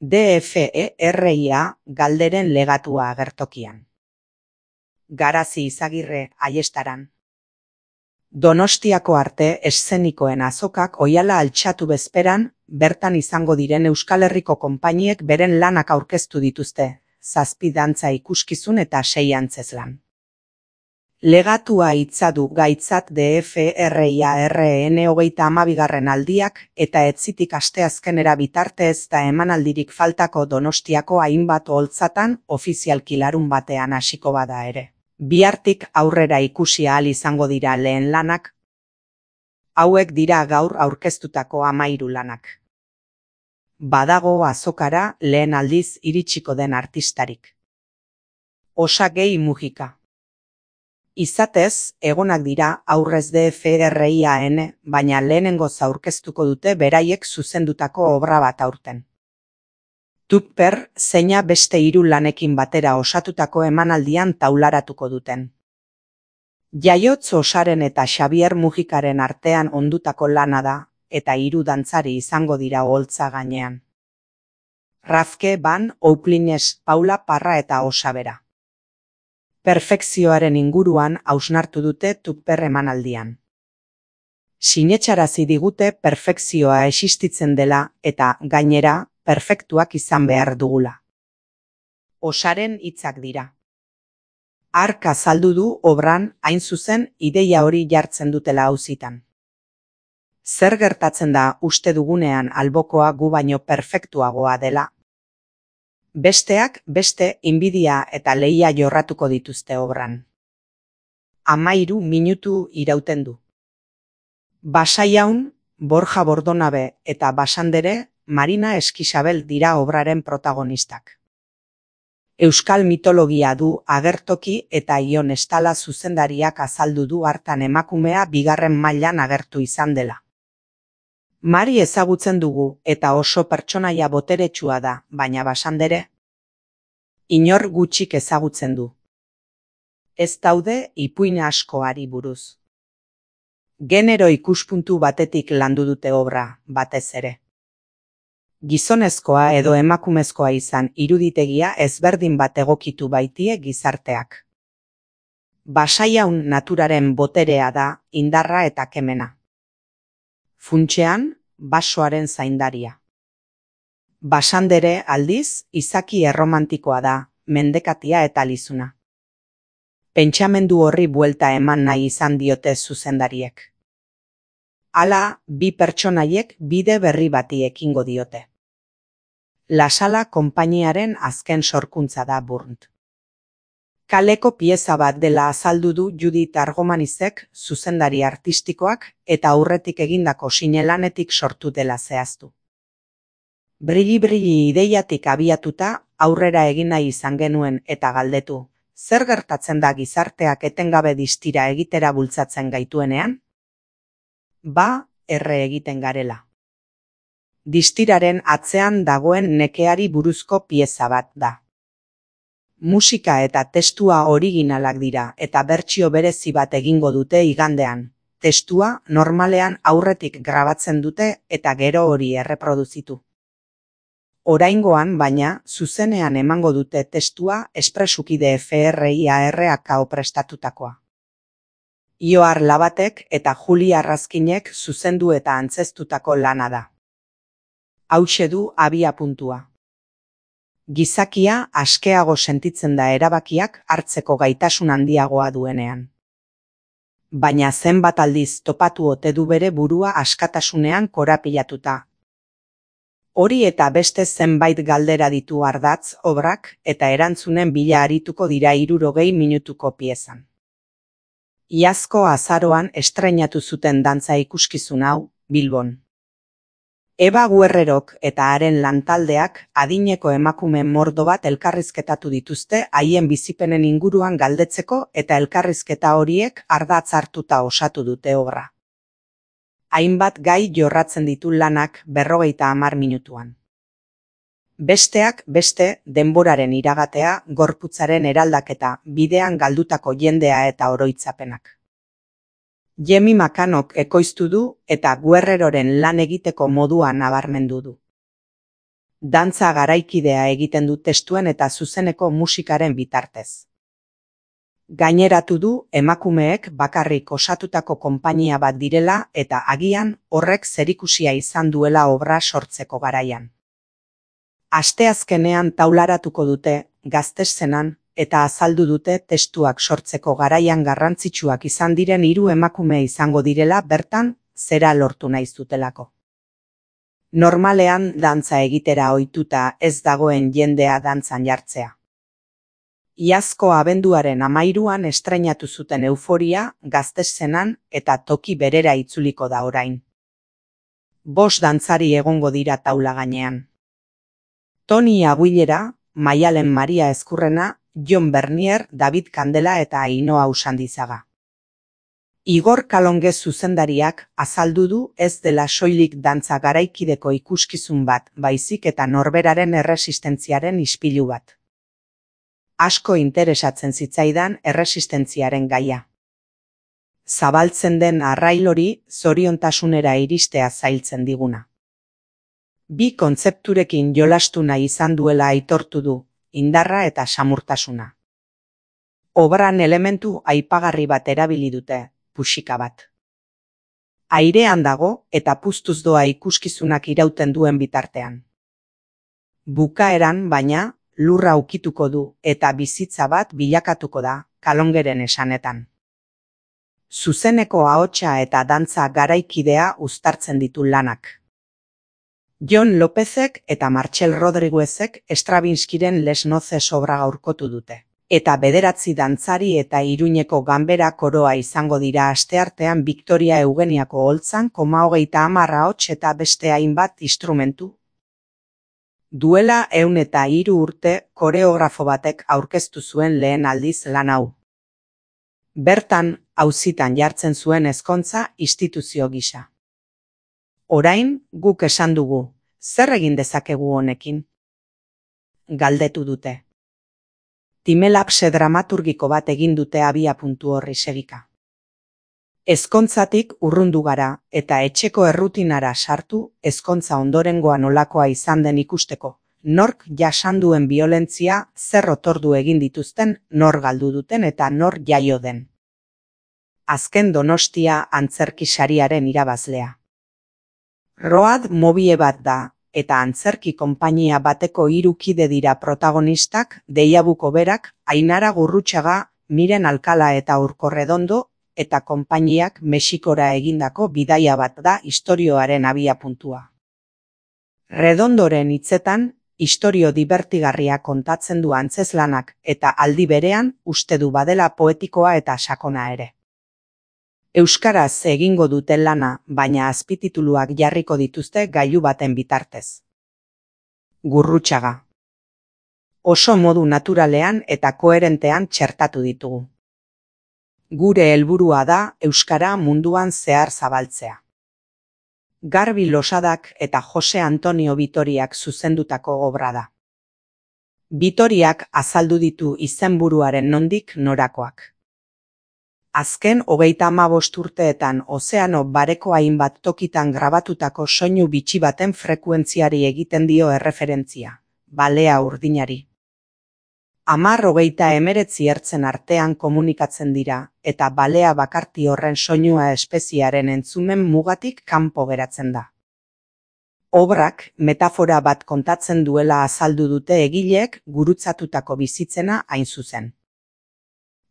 DFERIA galderen legatua agertokian. Garazi Izagirre Aiestaran. Donostiako arte eszenikoen azokak oihala altxatu bezperan, bertan izango diren Euskal Herriko konpainiek beren lanak aurkeztu dituzte, 7 dantza ikuskizun eta 6 antzezlan. Legatua hitza du gaitzat DFRIARN 32. aldiak eta etzitik asteazkenera bitarte ez da emanaldirik faltako Donostiako hainbat oholtzatan ofizialki larun batean hasiko bada ere. Bihartik aurrera ikusi ahal izango dira lehen lanak. Hauek dira gaur aurkeztutako 13 lanak. Badago azokara lehen aldiz iritsiko den artistarik. Osagei Mujika. Izatez, egonak dira aurrez DFRIAN, baina lehenengoz aurkeztuko dute beraiek zuzendutako obra bat aurten. Tupper zeina beste 3 lanekin batera osatutako emanaldian taularatuko duten. Jaiotz Osaren eta Xabier Mujikaren artean ondutako lana da, eta 3 dantzari izango dira oholtza gainean. Rafke, Van, Ouplines, Paula Parra eta Osabera. Perfekzioaren inguruan hausnartu dute Tupper emanaldian. Sinetxarazi digute perfekzioa existitzen dela eta, gainera, perfektuak izan behar dugula. Osaren hitzak dira. Hark azaldu du obran, hain zuzen, ideia hori jartzen dutela auzitan. Zer gertatzen da uste dugunean albokoa gu baino perfektuagoa dela? Besteak beste inbidia eta lehia jorratuko dituzte obran. 13 minutu irauten du. Basaiaun, Borja Bordonabe eta Basandere, Marina Eskisabel dira obraren protagonistak. Euskal mitologia du agertoki eta Ion Estala zuzendariak azaldu du hartan emakumea 2. mailan agertu izan dela. Mari ezagutzen dugu eta oso pertsonaia boteretsua da, baina Basandere inor gutxik ezagutzen du. Ez daude ipuin askoari buruz. Genero ikuspuntu batetik landu dute obra, batez ere. Gizonezkoa edo emakumezkoa izan iruditegia ezberdin bat egokitu baitie gizarteak. Basaiaun naturaren boterea da, indarra eta kemena. Funtsean, basoaren zaindaria. Basandere aldiz, izaki erromantikoa da, mendekatia eta lizuna. Pentsamendu horri buelta eman nahi izan diote zuzendariek. Hala, 2 pertsonaiek bide berri bati ekingo diote. Lasala konpainiaren azken sorkuntza da Burnt. Kaleko pieza bat dela azaldu du Judith Argomanizek zuzendari artistikoak eta aurretik egindako sinelanetik sortu dela zehaztu. Brilli ideiatik abiatuta aurrera egin nahi izan genuen eta galdetu, zer gertatzen da gizarteak etengabe distira egitera bultzatzen gaituenean? Erre egiten garela. Distiraren atzean dagoen nekeari buruzko pieza bat da. Musika eta testua originalak dira eta bertsio berezi bat egingo dute igandean. Testua normalean aurretik grabatzen dute eta gero hori erreproduzitu. Oraingoan baina, zuzenean emango dute testua espresuki DFRIARK prestatutakoa. Ioar Labatek eta Juli Arrazkinek zuzendu eta antzeztutako lana da. Hauxe du abiapuntua. Gizakia askeago sentitzen da erabakiak hartzeko gaitasun handiagoa duenean. Baina zenbat aldiz topatu ote du bere burua askatasunean korapilatuta. Hori eta beste zenbait galdera ditu ardatz obrak eta erantzunen bila arituko dira 60 minutuko piezan. Iazko azaroan estreinatu zuten dantza ikuskizun hau, Bilbon. Eba Guerrerok eta haren lantaldeak adineko emakume mordo bat elkarrizketatu dituzte haien bizipenen inguruan galdetzeko eta elkarrizketa horiek ardatz hartuta osatu dute obra. Hainbat gai jorratzen ditu lanak 50 minutuan. Besteak beste denboraren iragatea, gorputzaren eraldaketa, bidean galdutako jendea eta oroitzapenak. Jemi Makanok ekoiztu du eta Guerreroren lan egiteko modua nabarmendu du. Dantza garaikidea egiten du testuen eta zuzeneko musikaren bitartez. Gaineratu du emakumeek bakarrik osatutako konpainia bat direla eta agian horrek zerikusia izan duela obra sortzeko garaian. Asteazkenean taularatuko dute Gazteszenan eta azaldu dute testuak sortzeko garaian garrantzitsuak izan diren 3 emakume izango direla bertan zera lortu nahi zutelako. Normalean dantza egitera ohituta ez dagoen jendea dantzan jartzea. Iazko abenduaren 13an estreinatu zuten Euforia Gazteszenan eta toki berera itzuliko da orain. 5 dantzari egongo dira taula gainean. Toni Aguilera, Maialen Maria Ezkurrena, Jon Bernier, David Kandela eta Ainhoa Usandizaga. Igor Kalonge zuzendariak azaldu du ez dela soilik dantza garaikideko ikuskizun bat, baizik eta norberaren erresistentziaren ispilu bat. Asko interesatzen zitzaidan erresistentziaren gaia. Zabaltzen den arrail hori zoriontasunera iristea zailtzen diguna. 2 kontzepturekin jolastu nahi izan duela aitortu du, indarra eta samurtasuna. Obran elementu aipagarri bat erabili dute, puxika bat. Airean dago eta puztuz doa ikuskizunak irauten duen bitartean. Bukaeran, baina, lurra ukituko du eta bizitza bat bilakatuko da, Kalongeren esanetan. Zuzeneko ahotsa eta dantza garaikidea uztartzen ditu lanak. Jon Lopezek eta Martxel Rodriguezek Stravinskiren Les Noces obra gaurkotu dute. Eta 9 dantzari eta Iruñeko ganbera koroa izango dira asteartean Victoria Eugeniako holtzan 30 ahots eta beste hainbat instrumentu. Duela 103 urte koreografo batek aurkeztu zuen lehen aldiz lan hau. Bertan, auzitan jartzen zuen ezkontza instituzio gisa. Orain, guk esan dugu, zer egin dezakegu honekin? Galdetu dute. Timelapse dramaturgiko bat egin dute abiapuntu horri segika. Ezkontzatik urrundu gara eta etxeko errutinara sartu ezkontza ondorengoa nolakoa izan den ikusteko, nork jasanduen biolentzia zer otordu egin dituzten, nor galdu duten eta nor jaio den. Azken Donostia antzerki sariaren irabazlea. Road Movie bat da, eta antzerki konpainia bateko 3 kide dira protagonistak, Deiabuko berak, Ainara Gurrutxaga, Miren Alkala eta Urko Redondo, eta konpainiak Mexikora egindako bidaia bat da istorioaren abiapuntua. Redondoren hitzetan, istorio dibertigarria kontatzen du antzeslanak eta aldi berean uste du badela poetikoa eta sakona ere. Euskaraz egingo dute lana, baina azpitituluak jarriko dituzte gailu baten bitartez. Gurrutxaga. Oso modu naturalean eta koherentean txertatu ditugu. Gure helburua da euskara munduan zehar zabaltzea. Garbi Losadak eta Jose Antonio Bitoriak zuzendutako obra da. Bitoriak azaldu ditu izenburuaren nondik norakoak. Azken 35 urteetan Ozeano Bareko hainbat tokitan grabatutako soinu bitxi baten frekuentziari egiten dio erreferentzia, balea urdinari. 10-39 ertzen artean komunikatzen dira, eta balea bakarti horren soinua espeziaren entzumen mugatik kanpo geratzen da. Obrak metafora bat kontatzen duela azaldu dute egileek gurutzatutako bizitzena hain zuzen.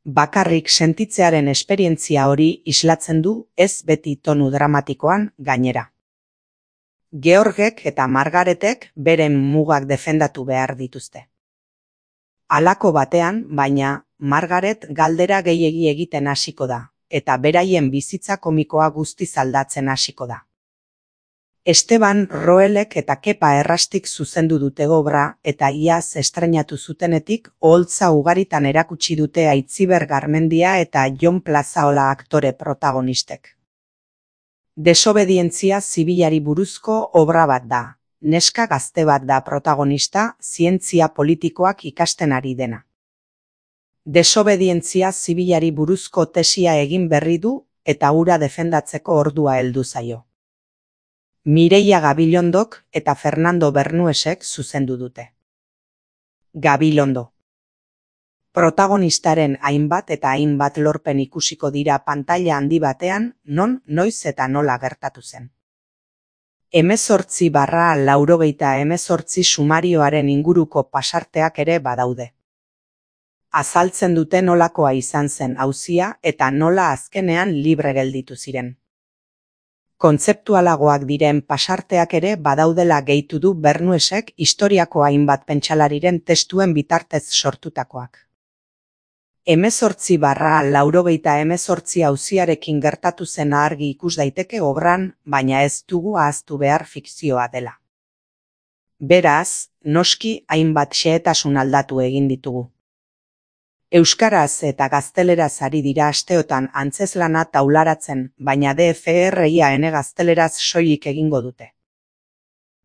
Bakarrik sentitzearen esperientzia hori islatzen du ez beti tonu dramatikoan gainera. Georgek eta Margaretek beren mugak defendatu behar dituzte. Halako batean, baina, Margaret galdera gehiegi egiten hasiko da, eta beraien bizitza komikoa guztiz aldatzen hasiko da. Esteban Roelek eta Kepa Errastik zuzendu dute obra eta iaz estreinatu zutenetik oholtza ugaritan erakutsi dute Aitziber Garmendia eta Jon Plazaola aktore protagonistek. Desobedientzia zibilari buruzko obra bat da, neska gazte bat da protagonista zientzia politikoak ikasten ari dena. Desobedientzia zibilari buruzko tesia egin berri du eta hura defendatzeko ordua heldu zaio. Mireia Gabilondok eta Fernando Bernuesek zuzendu dute. Gabilondo. Protagonistaren hainbat eta hainbat lorpen ikusiko dira pantaila handi batean, non, noiz eta nola gertatu zen. 18/88 sumarioaren inguruko pasarteak ere badaude. Azaltzen dute nolakoa izan zen auzia eta nola azkenean libre gelditu ziren. Kontzeptualagoak diren pasarteak ere badaudela gehitu du Bernuesek historiako hainbat pentsalariren testuen bitartez sortutakoak. 18/88 auziarekin gertatu zen argi ikus daiteke obran, baina ez dugu ahaztu behar fikzioa dela. Beraz, noski hainbat xehetasun aldatu egin ditugu. Euskaraz eta gazteleraz ari dira asteotan antzeslana taularatzen, baina DFRIAN gazteleraz soilik egingo dute.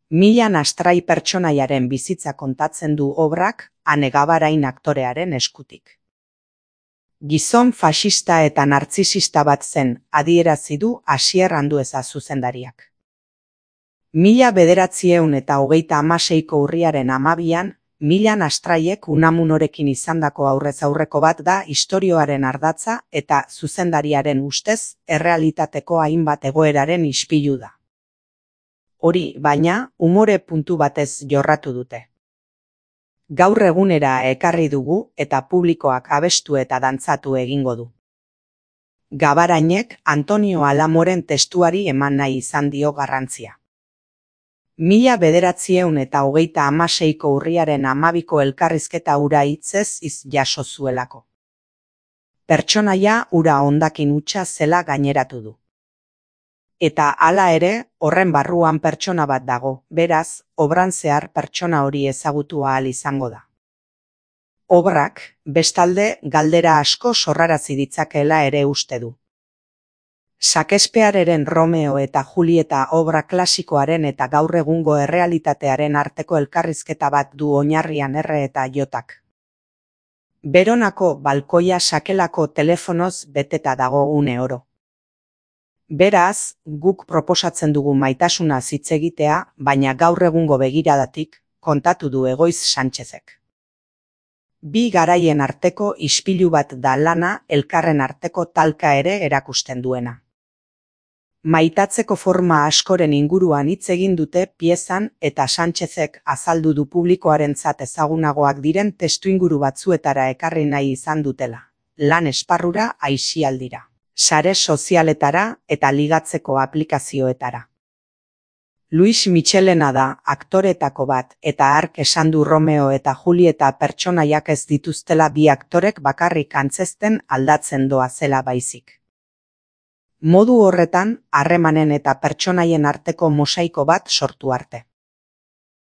Milan Astrai pertsonaiaren bizitza kontatzen du obrak Ane Gabarain aktorearen eskutik. Gizon faxista eta nartzisista bat zen, adierazi du Asier Andueza zuzendariak. 1936ko urriaren 12an, Milan Astraiek Unamunorekin izandako aurrez aurreko bat da istorioaren ardatza eta zuzendariaren ustez errealitateko hainbat egoeraren ispilu da. Hori, baina, umore puntu batez jorratu dute. Gaur egunera ekarri dugu eta publikoak abestu eta dantzatu egingo du. Gabarainek Antonio Alamoren testuari eman nahi izan dio garrantzia. 1936ko urriaren 12ko elkarrizketa hura hitzez jaso zuelako. Pertsonaia hura hondakin hutsa zela gaineratu du. Eta hala ere, horren barruan pertsona bat dago, beraz, obran zehar pertsona hori ezagutu ahal izango da. Obrak, bestalde, galdera asko sorrarazi ditzakeela ere uste du. Shakespeareren Romeo eta Julieta obra klasikoaren eta gaur egungo errealitatearen arteko elkarrizketa bat du oinarrian R eta Jotak. Beronako balkoia sakelako telefonoz beteta dago une oro. Beraz, guk proposatzen dugu maitasuna hitz egitea, baina gaur egungo begiradatik, kontatu du Egoiz Sanchezek. Bi garaien arteko ispilu bat da lana, elkarren arteko talka ere erakusten duena. Maitatzeko forma askoren inguruan hitz egin dute piezan eta Sanchezek azaldu du publikoarentzat ezagunagoak diren testuinguru batzuetara ekarri nahi izan dutela. Lan esparrura, aisialdira, sare sozialetara eta ligatzeko aplikazioetara. Luis Michelena da aktoretako bat eta hark esan du Romeo eta Julieta pertsonaiak ez dituztela bi aktorek bakarrik antzezten aldatzen doa zela baizik. Modu horretan, harremanen eta pertsonaien arteko mosaiko bat sortu arte.